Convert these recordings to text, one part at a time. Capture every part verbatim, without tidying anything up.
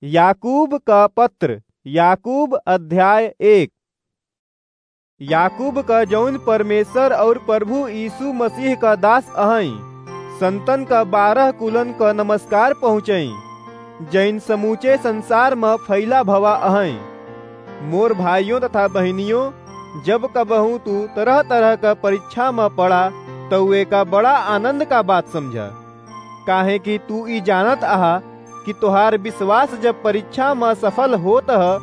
याकूब का पत्र, याकूब अध्याय एक। याकूब का जौन परमेश्वर और प्रभु यीशु मसीह का दास अहई, संतन का बारह कुलन का नमस्कार पहुँचई, जैन समूचे संसार म फैला भवा अहई। मोर भाइयों तथा बहिनियों, जब कबहूँ तू तरह-तरह का परीक्षा म पड़ा, तउ एका बड़ा आनंद का बात समझा। काहे कि तू ई जानत अहा कि तोहार विश्वास जब परीक्षा म सफल होत ह,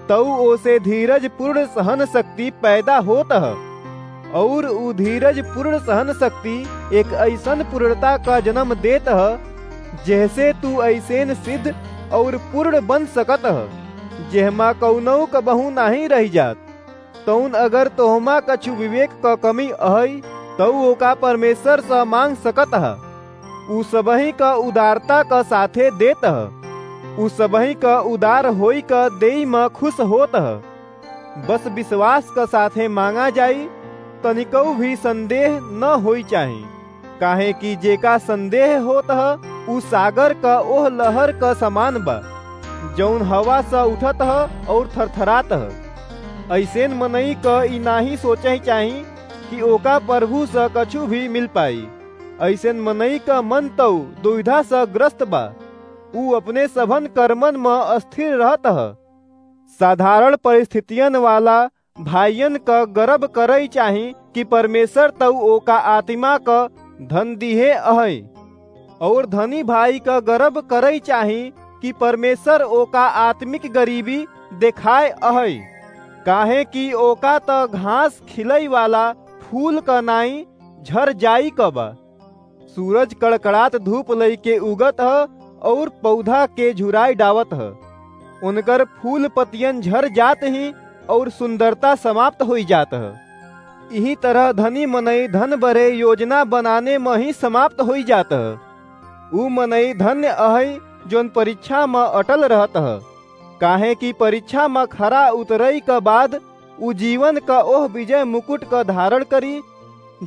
तउ ओसे धीरज पूर्ण सहन शक्ति पैदा होत ह। और ऊ धीरज पूर्ण सहन शक्ति एक ऐसन पूर्णता का जन्म देत ह, जेहसे तू ऐसेन सिद्ध और पूर्ण बन सकत ह, जेहमा कउनौ कबहूँ नाहीं रहि जात। तउन अगर तोहमा कछु विवेक क कमी अहइ, तउ ओका परमेश्वर स माँग सकत ह। ऊ सबही क उदारता क साथे देत ह। ऊ सबही क उदार होई क देई म खुश होत ह। बस विश्वास क साथे माँगा जाई, तनिकउ भी संदेह न होई चाही। काहे कि जेका संदेह होत ह, ऊ सागर क ओह लहर क समान बा, जौन हवा स उठत ह और थरथरात ह। अइसेन मनई क ई नाहीं सोचइ चाही कि ओका प्रभु स कछु भी मिल पाई। अइसेन मनई क मन तउ दुविधा स ग्रस्त बा। ऊ अपने सभन कर्मन म अस्थिर रहत ह। साधारण परिस्थितियन वाला भाइयन क गर्व करइ चाही कि परमेश्वर तउ ओका आत्मा क धन दिहे अहइ। और धनी भाई क गर्व करइ चाही कि परमेश्वर ओका आत्मिक गरीबी देखाए अहइ, काहे कि ओका त घास खिलइ वाला फूल क नाई झर जाई क बा। सूरज कड़कड़ात धूप लइके उगत ह और पौधा के झुराई डावत ह। उनकर फूल पतियन झर जात ही और सुंदरता समाप्त होई जात ह। इही तरह धनी मनई धन बरे योजना बनाने म ही समाप्त होई जात ह। ऊ मनई धन्य अहइ, जौन परीक्षा म अटल रहत ह, काहे कि परीक्षा म खरा उतरई क बाद ऊ जीवन क ओह विजय मुकुट क धारण करी,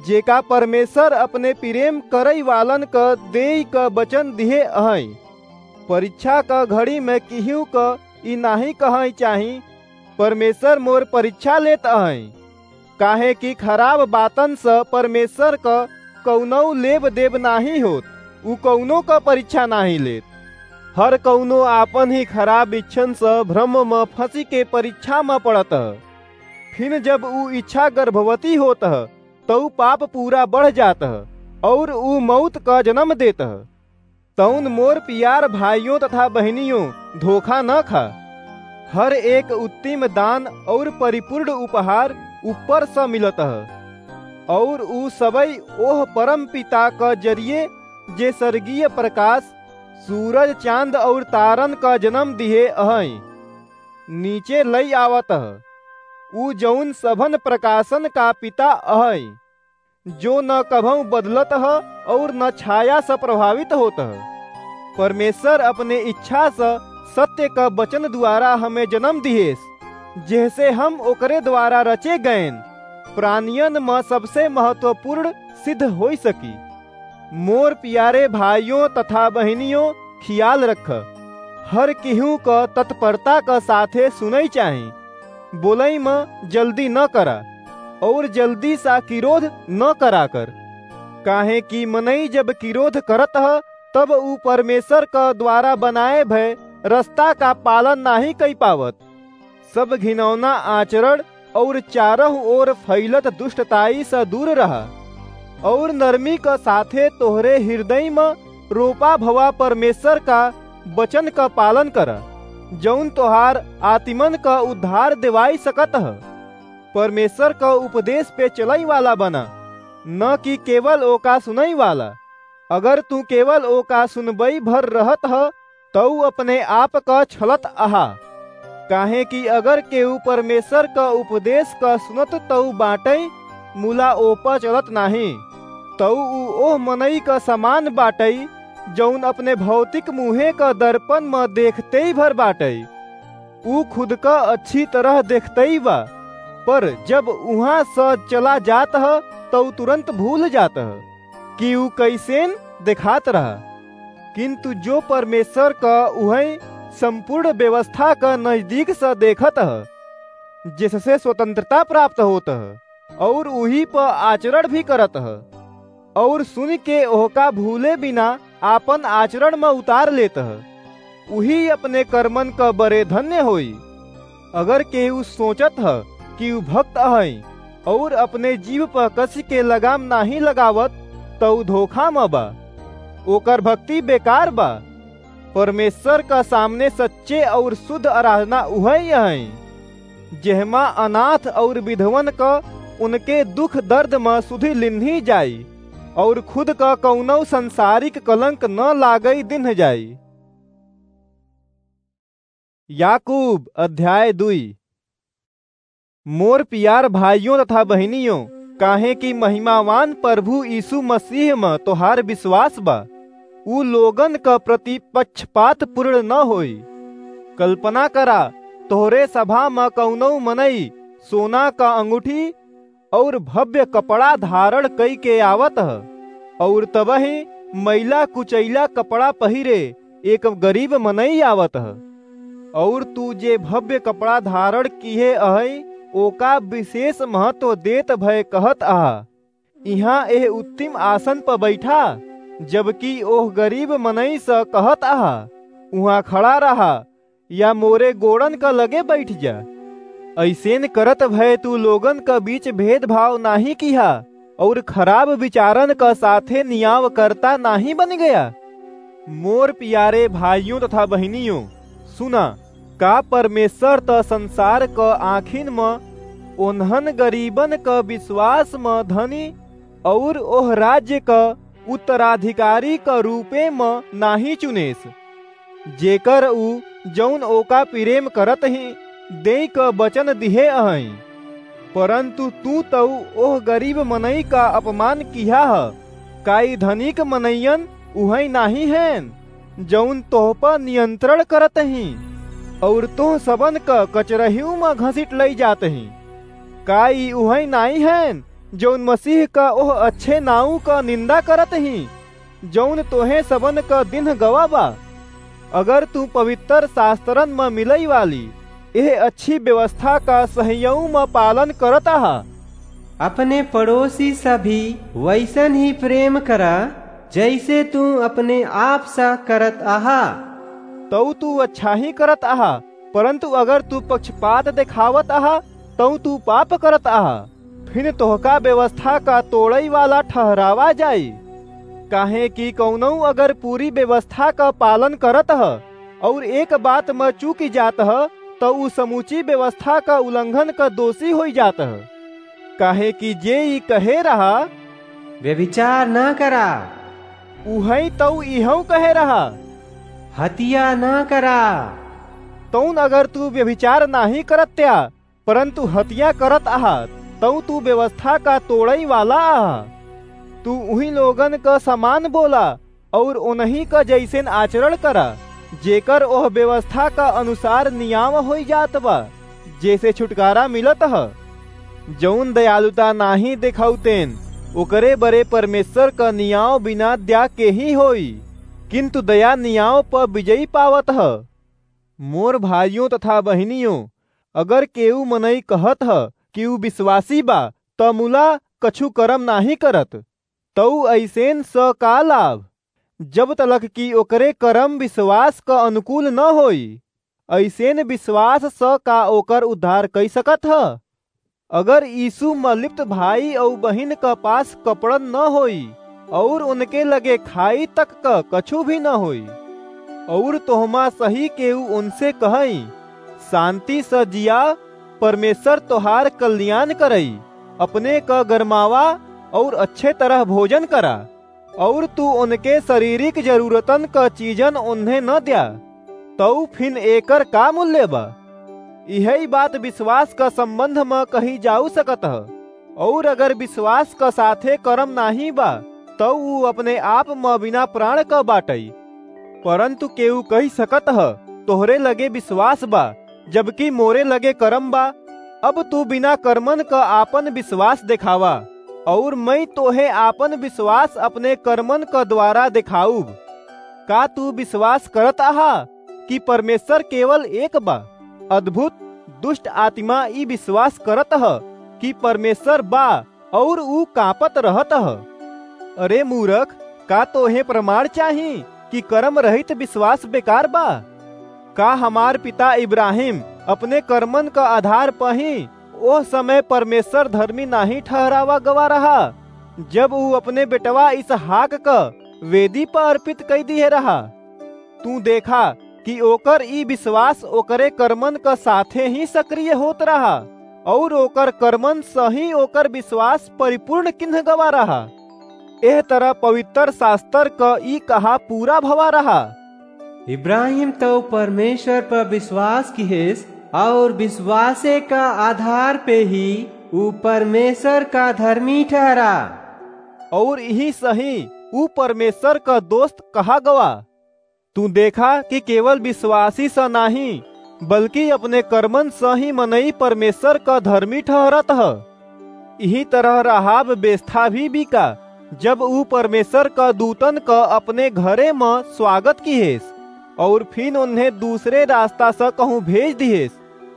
जेका परमेश्वर अपने प्रेम करई वालन क देई क वचन दिहे अहइ। परीक्षा क घड़ी में किहू क ई नाहीं कहइ चाही, "परमेश्वर मोर परीक्षा लेत अहइ।" काहे कि खराब बातन स परमेश्वर क कउनौ लेब देब नाहीं होत, ऊ कउनो क परीक्षा नाहीं लेत। हर कउनो आपन ही खराब इच्छन स भ्रम म फँसी के परीक्षा म पड़त ह। फिन जब ऊ इच्छा गर्भवती होत ह, तउ पाप पूरा बढ़ जात ह और ऊ मौत क जन्म देत ह। तउन मोर पियार भाइयों तथा बहिनियों, धोखा न खा। हर एक उत्तम दान और परिपूर्ण उपहार ऊपर स मिलत ह, और ऊ सबई ओह परम पिता क जरिए, जे स्वर्गीय प्रकाश, सूरज, चांद और तारन क जन्म दिहे अहइ, नीचे लई आवत ह। ऊ जौन सभन प्रकाशन का पिता अहइ, जो न कभऊ बदलत ह और न छाया स प्रभावित होत ह। परमेश्वर अपने इच्छा स सत्य क वचन द्वारा हमें जन्म दिहेस, जेहसे हम ओकरे द्वारा रचे गएन प्राणियन म सबसे महत्वपूर्ण सिद्ध होई सकी। मोर पियारे भाइयों तथा बहिनियों, खियाल रख, हर किहू क तत्परता क साथे सुनई चाही। बोलई म जल्दी न करा और जल्दी सा किरोध न करा कर, काहे कि मनई जब किरोध करत ह, तब ऊ परमेश्वर क द्वारा बनाए भय रस्ता का पालन नाहीं कई पावत। सब घिनौना आचरण और चारों ओर फैलत दुष्टताई स दूर रहा, और नरमी क साथे तोहरे हृदय म रोपा भवा परमेश्वर का वचन क पालन करा, जौन तोहार आत्मन क उद्धार देवाई सकत ह। परमेश्वर क उपदेश पे चलई वाला बना, न कि केवल ओका सुनई वाला। अगर तू केवल ओका सुनबई भर रहत ह, तऊ अपने आप क छलत अहा। काहे कि अगर केहू परमेश्वर क उपदेश क सुनत तऊ बाटई, मुला ओपा चलत नाहीं, तऊ ऊ ओह मनई क समान बाटई, जौन अपने भौतिक मुँहे क दर्पण म देखते ही भर बाटई। ऊ खुद क अच्छी तरह देखतई बा, पर जब उहाँ स चला जात ह, तऊ तुरंत भूल जात ह कि ऊ कइसेन देखात रहा। किंतु जो परमेश्वर क उहई संपूर्ण व्यवस्था क नजदीक स देखत ह, जेससे स्वतंत्रता प्राप्त होत ह, अउर उही प आचरण भी करत ह। अउर सुनि के ओहका भूले बिना आपन आचरण म उतार लेत ह, उही अपने कर्मन क बरे धन्य होई। अगर केहू सोचत ह कि ऊ भक्त अहइ अउर अपने जीभ प कसि के लगाम नाहीं लगावत, त ऊ धोखा म बा, ओकर भक्ति बेकार बा। परमेश्वर क सामने सच्चे अउर शुद्ध आराधना उहइ अहइ, जेहमा अनाथ अउर विधवन क उनके दुख दर्द म सुधि लिन्ही जाई, अउर खुद क कउनउ संसारिक कलंक न लागइ दिन्ह जाई। याकूब अध्याय दुई। मोर पियार भाइयों तथा बहिनियों, काहे कि महिमावान प्रभु यीशु मसीह म तोहार विश्वास बा, ऊ लोगन क प्रति पक्षपात पूर्ण न होई। कल्पना करा, तोहरे सभा म कउनउ मनई सोना क अंगूठी अउर भव्य कपड़ा धारण कइके आवत ह, अउर तबहिं मइला कुचइला कपड़ा पहिरे एक गरीब मनई आवत ह। अउर तू जे भव्य कपड़ा धारण किहे अहइ, ओका विशेष महत्व देत भय कहत अहा, "इहाँ एह उत्तम आसन प बइठा," जबकि ओह गरीब मनई स कहत अहा, "उहाँ खड़ा रहा, या मोरे गोड़न क लगे बइठ जा।" अइसेन करत भय तू लोगन क बीच भेदभाव नाहीं किहा, अउर खराब विचारन क साथे नियावकर्ता नाहीं बनि गया। मोर पियारे भाइयों तथा बहिनियों, सुना, का परमेश्वर त संसार क आँखिन म ओन्हन गरीबन क विश्वास म धनी अउर ओह राज्य क उत्तराधिकारी क रूपे म नाहीं चुनेस, जेकर ऊ, जउन ओका प्रेम करत हीं, देइ क वचन दिहे अहइँ। परन्तु तू तउ ओह गरीब मनई का अपमान किहा ह। का ई धनिक मनइयन उहइँ नाहीं हएन, जउन तोह प नियंत्रण करत हीं, अउर तोह सबन क कचरहिउ म घसीट लइ जात हीं? का ई उहइँ नाहीं हएन, जउन मसीह क ओह अच्छे नाउँ क निंदा करत हीं, जउन तोहें सबन क दिन्ह गवा बा? अगर तू पवित्र शास्त्रन म मिलइ वाली एह अच्छी व्यवस्था क सहियउँ म पालन करत अहा, अपने पड़ोसी स भी वइसन ही प्रेम करा, जइसे तू अपने आप स करत अहा। तउ तू अच्छा ही करत अहा, परन्तु अगर तू पक्षपात देखावत अहा, तउ तू पाप करत अहा। फिन तोहका व्यवस्था का तोड़इ वाला ठहरावा जाई। काहे कि कउनउ अगर पूरी व्यवस्था का पालन करत ह, अउर एक बात म चूकि जात ह, त ऊ समूची व्यवस्था क उल्लंघन क दोषी होइ जात ह। काहे कि जे ई कहे रहा, "व्यभिचार न करा," उहइँ तउ इहउ कहे रहा, "हतिया न करा।" तउन अगर तू व्यभिचार नाहीं करत्या, परन्तु हतिया करत अहा, तउ तू व्यवस्था का तोड़इ वाला अहा। तू उही लोगन क समान बोला, अउर ओनही क जइसेन आचरण करा, जेकर ओह व्यवस्था क अनुसार नियाव होइ जात बा, जेसे छुटकारा मिलत ह। जउन दयालुता नाहीं देखउतेन, ओकरे बरे परमेश्वर क नियाव बिना द्या के ही होई, किन्तु दया नियाव प विजयी पावत ह। मोर भाइयों तथा बहिनियों, अगर केऊ मनई कहत ह कि ऊ विश्वासी बा, त मुला कछु करम नाहीं करत, तऊ अइसेन स का लाभ, जब तलक कि ओकरे करम विश्वास क अनुकूल न होई? अइसेन विश्वास स का ओकर उद्धार कइ सकत ह? अगर यीशु म लिप्त भाई अऊ बहिन क पास कपड़न न होई, अउर उनके लगे खाई तक क कछु भी न होई, अउर तोहमा सही केऊ उनसे कहई, "शांति स जिया, परमेश्वर तोहार कल्याण करई, अपने क गरमावा अउर अच्छे तरह भोजन करा," अउर तू उनके शारीरिक जरूरतन क चीजन उन्हें न द्या, तऊ फिन एकर का मूल्य बा? इहई बात विश्वास क संबंध म कही जाऊ सकत ह। अउर अगर विश्वास क साथे करम नाहीं बा, तऊ ऊ अपने आप म बिना प्राण क बाटई। परन्तु केऊ कहि सकत ह, "तोहरे लगे विश्वास बा, जबकि मोरे लगे करम बा।" अब तू बिना करमन क आपन विश्वास देखावा, अउर मइँ तोहे आपन विश्वास अपने करमन क द्वारा देखाउब। का तू विश्वास करत अहा कि परमेश्वर केवल एक बा। अद्भुत, दुष्ट आत्मा ई विश्वास करत ह कि परमेश्वर बा, और ऊ कांपत रहत ह। अरे मूरख, का तोहे प्रमाण चाही कि कर्म रहित विश्वास बेकार बा? का हमार पिता इब्राहिम अपने कर्मन क आधार प ही ओह समय परमेश्वर धर्मी नाहीं ठहरावा गवा रहा, जब ऊ अपने बेटवा इसहाक क वेदी प अर्पित कई दिहे रहा? तू देखा कि ओकर ई विश्वास ओकरे कर्मन क साथे ही सक्रिय होत रहा, और ओकर कर्मन स ही ओकर विश्वास परिपूर्ण किन्ह गवा रहा। एह तरह पवित्र शास्त्र क ई कहा पूरा भवा रहा। इब्राहिम तउ परमेश्वर पर विश्वास किहेस, और विश्वासे का आधार पे ही ऊ परमेश्वर का धर्मी ठहरा। और इही सही ऊ परमेश्वर का दोस्त कहा गवा। तू देखा कि केवल विश्वासी स नाही, बल्कि अपने कर्मन स ही मनई परमेश्वर क धर्मी ठहरत ह। इही तरह राहाब बेस्था भी बिका, जब ऊ परमेश्वर क दूतन क अपने घरे म स्वागत किहेस, और फिन उन्हें दूसरे रास्ता स कहूँ भेज दिहेस,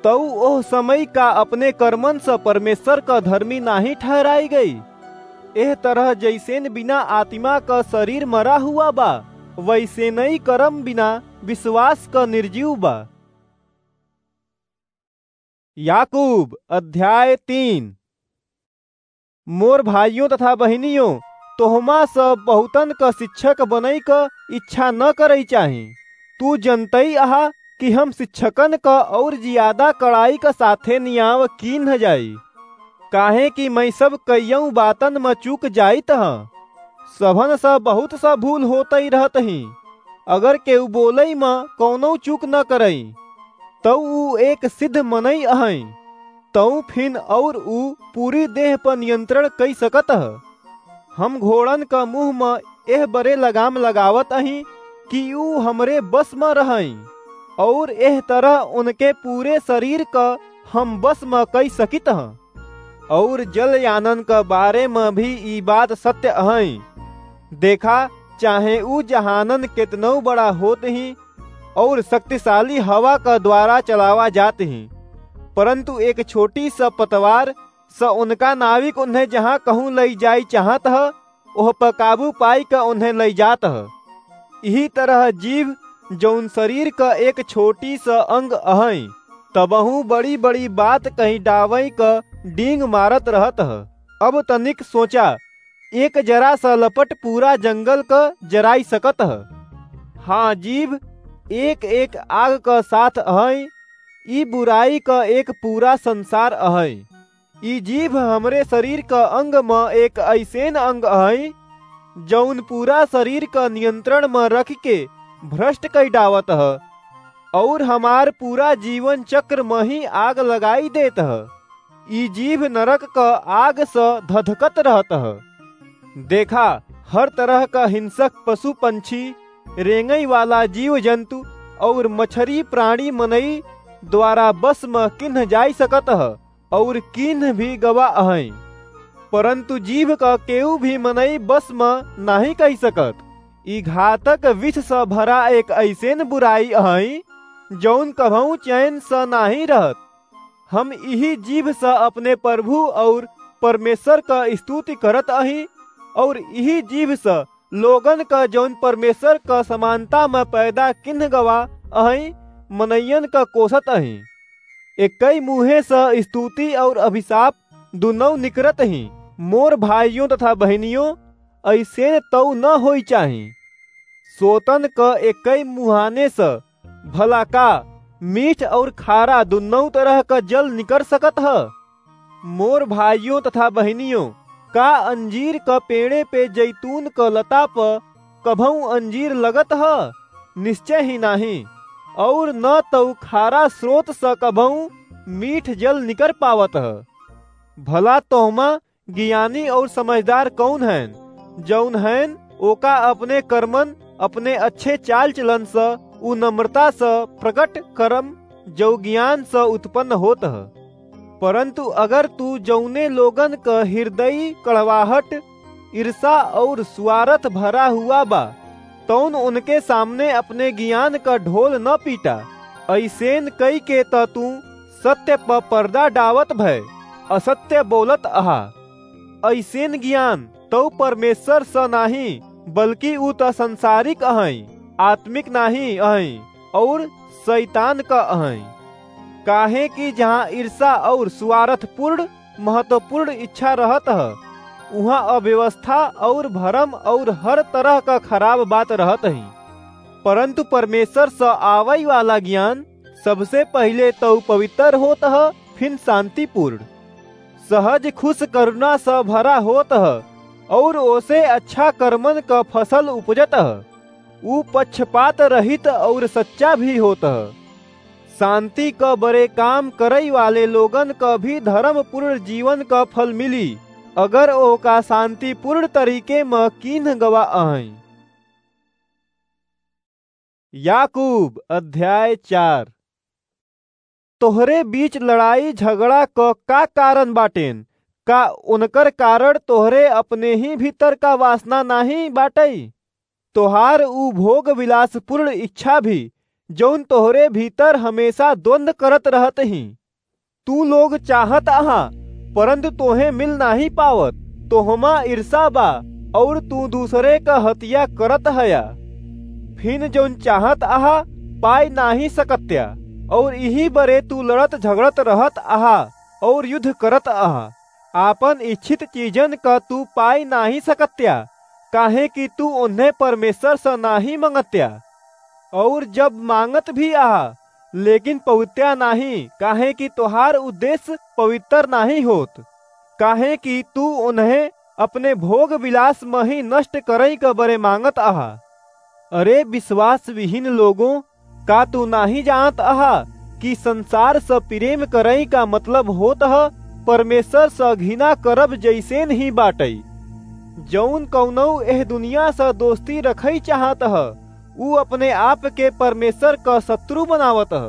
तऊ ओह समय का अपने कर्मन स परमेश्वर क धर्मी नाही ठहराई गई। एह तरह जैसेन बिना आत्मा क शरीर मरा हुआ बा, वैसेनई कर्म बिना विश्वास क निर्जीव बा। याकूब अध्याय तीन। मोर भाइयों तथा बहिनियों, तोहमा स बहुतन क शिक्षक बनई क इच्छा न करई चाही। तू जनतई अहा कि हम शिक्षकन क और जियादा कड़ाई क साथे नियाव कीन्ह जाई, काहे कि मैं सब कइयऊ बातन म चूक जाइत ह। सभन स बहुत स भूल होतई रहत ही। अगर केहू बोलई म कौनो चूक न करई, तऊ ऊ एक सिद्ध मनई अहई, तऊ फिन और ऊ पूरी देह पर नियंत्रण कई सकत ह। हम घोड़न क मुंह म एह बरे लगाम लगावत अही कि ऊ हमरे बस म रहई, और एह तरह उनके पूरे शरीर क हम बस म कई सकित ह। और जलयानन क बारे म भी ई बात सत्य अहई। देखा, चाहे ऊ जहानन केतनऊ बड़ा होत ही, और शक्तिशाली हवा क द्वारा चलावा जात ही, परंतु एक छोटी स पतवार स उनका नाविक उन्हें जहाँ कहूँ लई जाई चाहत ह, ओह पर काबू पाई क उन्हें लई जात ह। इही तरह जीभ, जौन शरीर क एक छोटी स अंग अहई, तबहूँ बड़ी-बड़ी बात कही डावई क डींग मारत रहत ह। अब तनिक सोचा, एक जरा स लपट पूरा जंगल क जराई सकत ह। हाँ, जीभ एक एक आग क साथ अहई, ई बुराई क एक पूरा संसार अहई। ई जीभ हमरे शरीर क अंग म एक अइसेन अंग अहई, जौन पूरा शरीर क नियंत्रण म रख के भ्रष्ट कई डावत ह, और हमार पूरा जीवन चक्र म ही आग लगाई देत ह। ई जीभ नरक क आग स धधकत रहत ह। देखा, हर तरह क हिंसक पशु पंछी, रेंगई वाला जीव जंतु और मछरी प्राणी मनई द्वारा बस म किन्ह जाई सकत ह, और किन्ह भी गवा अहई, परंतु जीभ क केहू भी मनई बस म नाही कई सकत। ई घातक विष स भरा एक अइसेन बुराई अहई, जौन कभऊ चैन स नाही रहत। हम इही जीभ स अपने प्रभु और परमेश्वर क स्तुति करत अही, और इही जीभ स लोगन क, जौन परमेश्वर क समानता म पैदा किन्ह गवा अहई, मनइयन क कोसत अही। एक्कई मुँहे स स्तुति और अभिशाप दुनौ निकरत ही। मोर भाइयों तथा बहिनियों, अइसेन तऊ न होई चाही। सोतन क एक्कई मुहाने स भला का मीठ और खारा दुनौ तरह क जल निकर सकत ह? मोर भाइयों तथा बहिनियों, का अंजीर क पेड़े पे जैतून क लता प कभऊ अंजीर लगत ह? निश्चय ही नाही। और न तऊ खारा स्रोत स कभऊ मीठ जल निकर पावत ह। भला तोहमा ज्ञानी और समझदार कौन हएन? जौन हएन, ओका अपने कर्मन, अपने अच्छे चाल चलन स, उ नम्रता स प्रकट करम, जौ ज्ञान स उत्पन्न होत ह। परंतु अगर तू जौने लोगन क हृदय कड़वाहट, ईर्षा और स्वार्थ भरा हुआ बा, तौन उनके सामने अपने गियान क ढोल न पीटा। अइसेन कई के त तू सत्य प पर्दा डावत भय असत्य बोलत अहा। अइसेन गियान तौ परमेश्वर स नाहीं, बल्कि ऊ त संसारिक अहैं, आत्मिक नाहीं अहैं, और शैतान क अहैं। काहे कि जहाँ ईर्षा और स्वार्थपूर्ण महत्वपूर्ण इच्छा रहत ह, उहाँ अव्यवस्था और भरम और हर तरह क खराब बात रहत ही। परंतु परमेश्वर स आवै वाला ज्ञान सबसे पहिले तौ पवित्र होत ह, फिन शांतिपूर्ण, सहज, खुश, करुणा स भरा होत ह, और ओसे अच्छा कर्मन क फसल उपजत ह। ऊ पक्षपात रहित और सच्चा भी होत ह। शांति क बड़े काम करै वाले लोगन क भी धर्मपूर्ण जीवन क फल मिली, अगर ओका शांतिपूर्ण तरीके म कीन्ह गवा अहैं। याकूब अध्याय चार। तोहरे बीच लड़ाई झगड़ा क का कारण बाटेन? का उनकर कारण तोहरे अपने ही भीतर का वासना नाहीं बाटै? तोहार ऊ भोग विलासपूर्ण इच्छा भी, जौन तोहरे भीतर हमेशा द्वंद करत रहत ही। तू लोग चाहत अहा, परंतु तोहे मिल नाहीं पावत। तोहमा ईर्षा बा, और तू दूसरे क हत्या करत हया। फिन जौन चाहत अहा, पाय नाहीं सकत्या, और इही बरे तू लड़त झगड़त रहत अहा और युद्ध करत अहा। आपन इच्छित चीजन क तू पाय नाहीं सकत्या, काहे कि तू उन्हें परमेश्वर स नाहीं मंगत्या। और जब मांगत भी अहा, लेकिन पवित्या नाहीं, काहे कि तोहार उद्देश्य पवित्र नाहीं होत, काहे कि तू उन्हें अपने भोग विलास म ही नष्ट करै क बरे मांगत अहा। अरे विश्वास विहीन लोगों, का तू नाहीं जानत अहा कि संसार स प्रेम करै का मतलब होत ह परमेश्वर स घृणा करब जैसेन ही बाटै? जौन कौनौ एह दुनिया स दोस्ती रखै चाहत ह, ऊ अपने आप के परमेश्वर क शत्रु बनावत ह।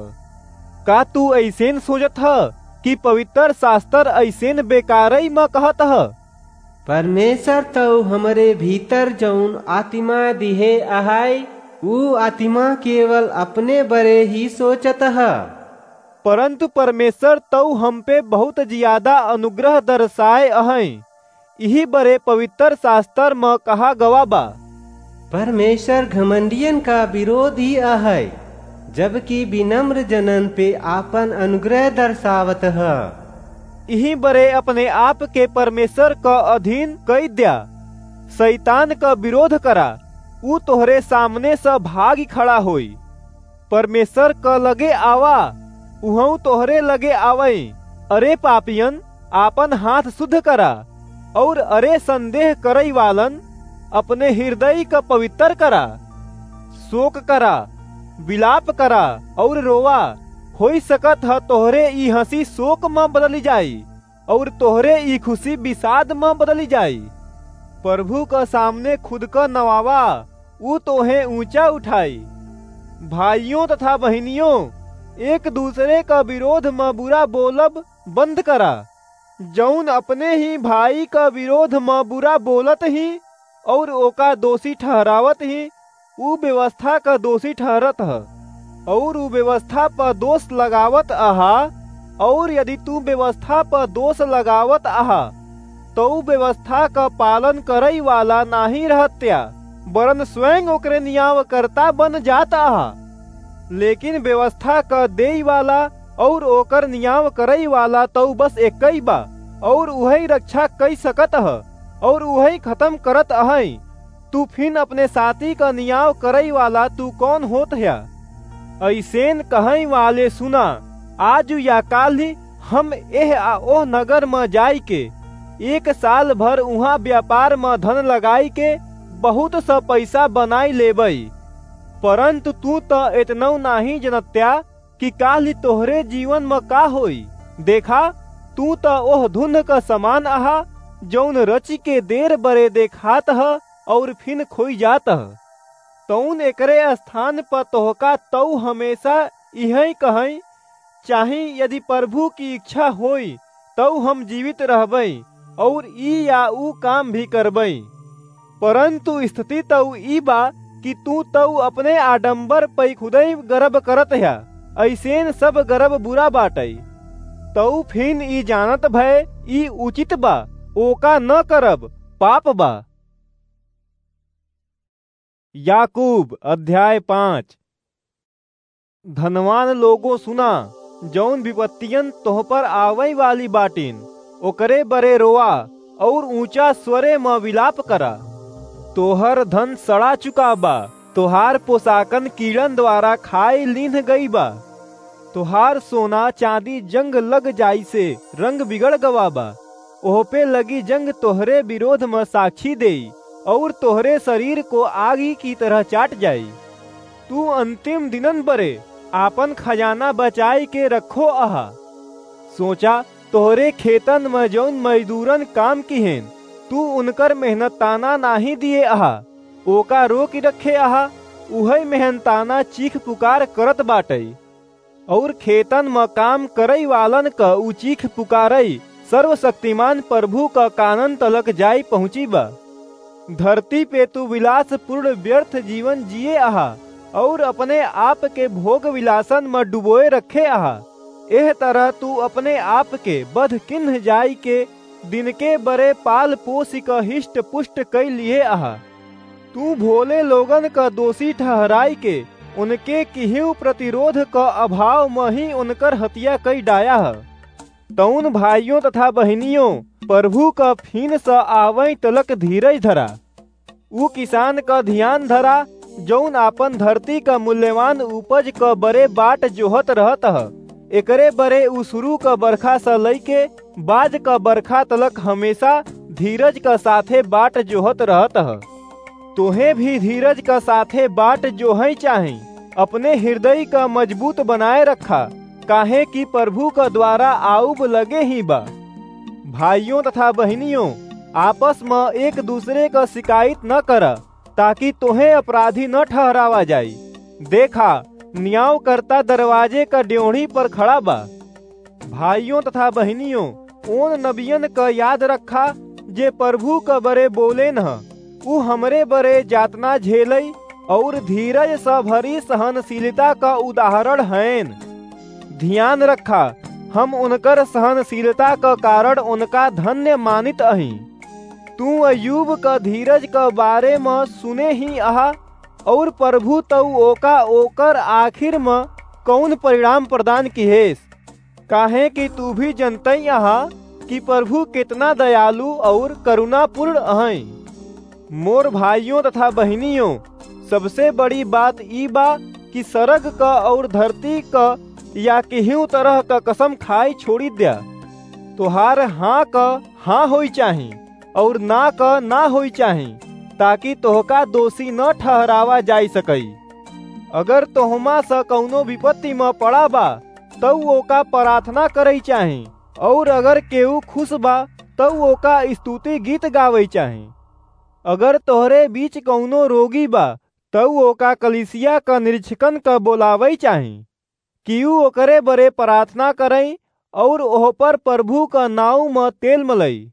का तू अइसेन सोचत ह कि पवित्र शास्त्र अइसेन बेकारै म कहत ह? परमेश्वर तौ हमरे भीतर जौन आतिमा दिहे अहै, ऊ आतिमा केवल अपने बरे ही सोचत ह। परंतु परमेश्वर तौ हम पे बहुत जियादा अनुग्रह दर्शाए अहैं। इही बरे पवित्र शास्त्र म कहा गवा बा, परमेश्वर घमंडियन का विरोधी अहै, जबकि विनम्र जनन पे आपन अनुग्रह दर्शावत ह। इही बरे अपने आप के परमेश्वर क अधीन कई द्या, शैतान क विरोध करा, ऊ तोहरे सामने स भागि खड़ा होई। परमेश्वर क लगे आवा, उहऊ तोहरे लगे आवै। अरे पापियन, आपन हाथ शुद्ध करा, और अरे संदेह करै वालन, अपने हृदय क पवित्र करा। शोक करा, विलाप करा और रोवा। होई सकत ह तोहरे ई हँसी शोक म बदलि जाई और तोहरे ई खुशी विषाद म बदलि जाई। प्रभु क सामने खुद क नवावा, ऊ तोहे ऊँचा उठाई। भाइयों तथा बहिनियों, एक दूसरे क विरोध म बुरा बोलब बंद करा। जौन अपने ही भाई क विरोध म बुरा बोलत ही और ओका दोषी ठहरावत ही, ऊ व्यवस्था क दोषी ठहरत ह, और ऊ व्यवस्था प दोष लगावत अहा, और यदि तू व्यवस्था प दोष लगावत अहा, तौ व्यवस्था क पालन करै वाला नाहीं रहत्या, वरन स्वयं ओकरे नियावकर्ता बन जात अहा। लेकिन व्यवस्था क देई वाला और ओकर नियाव करै वाला तौ बस एक्कै बा, और उहै रक्षा कई सकत ह, और उहै खतम करत अहै। तू फिन अपने साथी क नियाव करै वाला तू कौन होत ह्या? अइसेन कहै वाले सुना, आजु या काल्हि हम एह आ ओह नगर म जाइके एक साल भर उहाँ व्यापार म धन लगाइके बहुत स पैसा बनाइ लेबै। परंतु तू त एतनौ नाहीं जनत्या कि काल्हि तोहरे जीवन म का होई। देखा, तू त ओह धुन्ध क समान अहा, जौन रचिके देर बरे देखात ह और फिन खोई जात ह। तौन एकरे स्थान प तोहका तौ हमेशा इहै कहै, चाही यदि प्रभु की इच्छा होई, तौ हम जीवित रहबै और ई या ऊ काम भी करबै। परंतु स्थिति तौ ई बा कि तू तउ अपने आडंबर पै खुदै गरब करत ह्या, अइसेन सब गरब बुरा बाटै। तउ फिन ई जानत भए ई उचित बा, ओका न करब, पाप बा। याकूब अध्याय पाँच। धनवान लोगों सुना, जौन विपत्तियन तोह पर आवै वाली बाटिन, ओकरे बरे रोआ और ऊंचा स्वरे म विलाप करा। तोहर धन सड़ा चुका बा, तोहार पोशाकन कीड़न द्वारा खाए लीन्ह गई बा। तोहार सोना चांदी जंग लग जाई से रंग बिगड़ गवा बा। ओह पे लगी जंग तोहरे विरोध म साक्षी देई और तोहरे शरीर को आगी की तरह चाट जाई। तू अंतिम दिनन बरे आपन खजाना बचाई के रखो अहा। सोचा, तोहरे खेतन म जौन मजदूरन काम किहेन, तू उनकर मेहनत ताना नाहीं दिए अहा, ओका रोक रखे अहा, उहै मेहनताना चीख पुकार करत बाटै। और खेतन म काम करई वालन क ऊ चीख पुकारई सर्वशक्तिमान प्रभु क कानन तलक जाई पहुँची बा। धरती पे तू विलासपूर्ण व्यर्थ जीवन जिए अहा और अपने आप के भोग विलासन म डुबोए रखे अहा। एह तरह तू अपने आप के बध किन्ह जाई के दिन के बरे पाल पोसी क हिष्ट पुष्ट कई लिए अहा। तू भोले लोगन क दोषी ठहराई के उनके किहियो प्रतिरोध क अभाव म ही उनकर हत्या कई डाया ह। तउन भाइयों तथा बहिनियों, प्रभु क फिन स आवई तलक धीरज धरा। ऊ किसान क धियान धरा, जौन आपन धरती क मूल्यवान उपज क बरे बाट जोहत रहत ह। एकरे बरे ऊ शुरू क बरखा स लइके बाज क बरखा तलक हमेशा धीरज क साथे बाट जोहत रहत ह। तोहे भी धीरज क साथे बाट जोहई चाही। अपने हृदय क मजबूत बनाए रखा, काहे कि प्रभु क द्वारा आउब लगे ही बा। भाइयों तथा बहिनियों, आपस म एक दूसरे क शिकायत न करा, ताकि तोहे अपराधी न ठहरावा जाई। देखा, न्यायकर्ता दरवाजे क ड्योढ़ी पर खड़ा बा। भाइयों तथा बहिनियों, ओन नबियन क याद रखा, जे प्रभु क बरे बोलेन ह। ऊ हमरे बरे जातना झेलई और धीरज स भरी सहनशीलता क उदाहरण हएन। धियान रखा, हम उनकर सहनशीलता क कारण उनका धन्य मानित अही। तू अय्यूब क धीरज क बारे म सुने ही अहा, और प्रभु तउ ओका ओकर आखिर म कउन परिणाम प्रदान किहेस, काहे कि तू भी जनतई अहा कि प्रभु केतना दयालु और करुणापूर्ण अहई। मोर भाइयों तथा बहिनियों, सबसे बड़ी बात ई बा कि सरग क और धरती क या केहू तरह क कसम खाई छोड़ी द्या। तोहार हाँ क हाँ होई चाही और ना क ना होई चाही, ताकि तोहका दोषी न ठहरावा जाई सकई। अगर तोहमा स कउनो विपत्ति म पड़ा बा, तउ ओका प्रार्थना करई चाही, और अगर केहू खुश बा, तउ ओका स्तुति गीत गावई चाही। अगर तोहरे बीच कउनो रोगी बा, तउ ओका कलीसिया क निरीक्षकन क बोलावई चाही, कि ऊ ओकरे बरे प्रार्थना करई और ओह पर प्रभु क नाउँ म तेल मलई।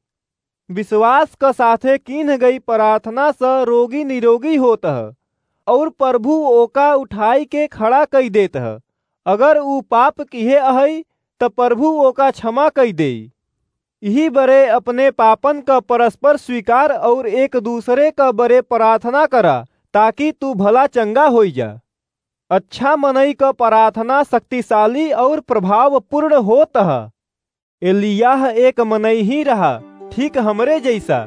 विश्वास क साथे कीन्ह गई प्रार्थना स रोगी निरोगी होत ह, और प्रभु ओका उठाई के खड़ा कई देत ह। अगर ऊ पाप किहे अहई, त प्रभु ओका क्षमा कई देई। इही बरे अपने पापन क परस्पर स्वीकार और एक दूसरे क बरे प्रार्थना करा, ताकि तू भला चंगा होई जा। अच्छा मनई क प्रार्थना शक्तिशाली और प्रभावपूर्ण होत ह। एलियाह एक मनई ही रहा, ठीक हमरे जैसा।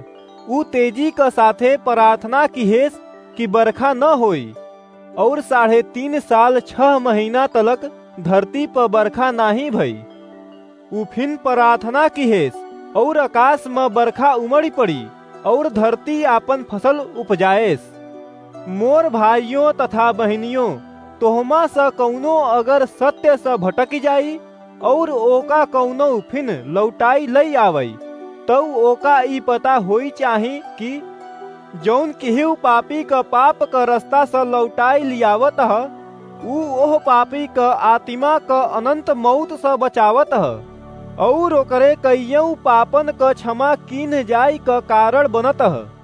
ऊ तेजी क साथे प्रार्थना किहेस कि बरखा न होई, और साढ़े तीन साल छह महीना तलक धरती प बरखा नाही भई। ऊ फिन प्रार्थना किहेस, और आकाश म बरखा उमड़ी पड़ी, और धरती आपन फसल उपजाएस। मोर भाइयों तथा बहिनियों, तोहमा स कउनो अगर सत्य स भटकि जाई, और ओका कउनो फिन लौटाई लई आवई, तउ ओका ई पता होई चाही कि जौन केहू पापी क पाप क रस्ता स लौटाई लियावत ह, ऊ ओह पापी क आत्मा क अनंत मौत स बचावत ह, और ओकरे कइयऊ पापन क क्षमा कीन्ह जाई क कारण बनत ह।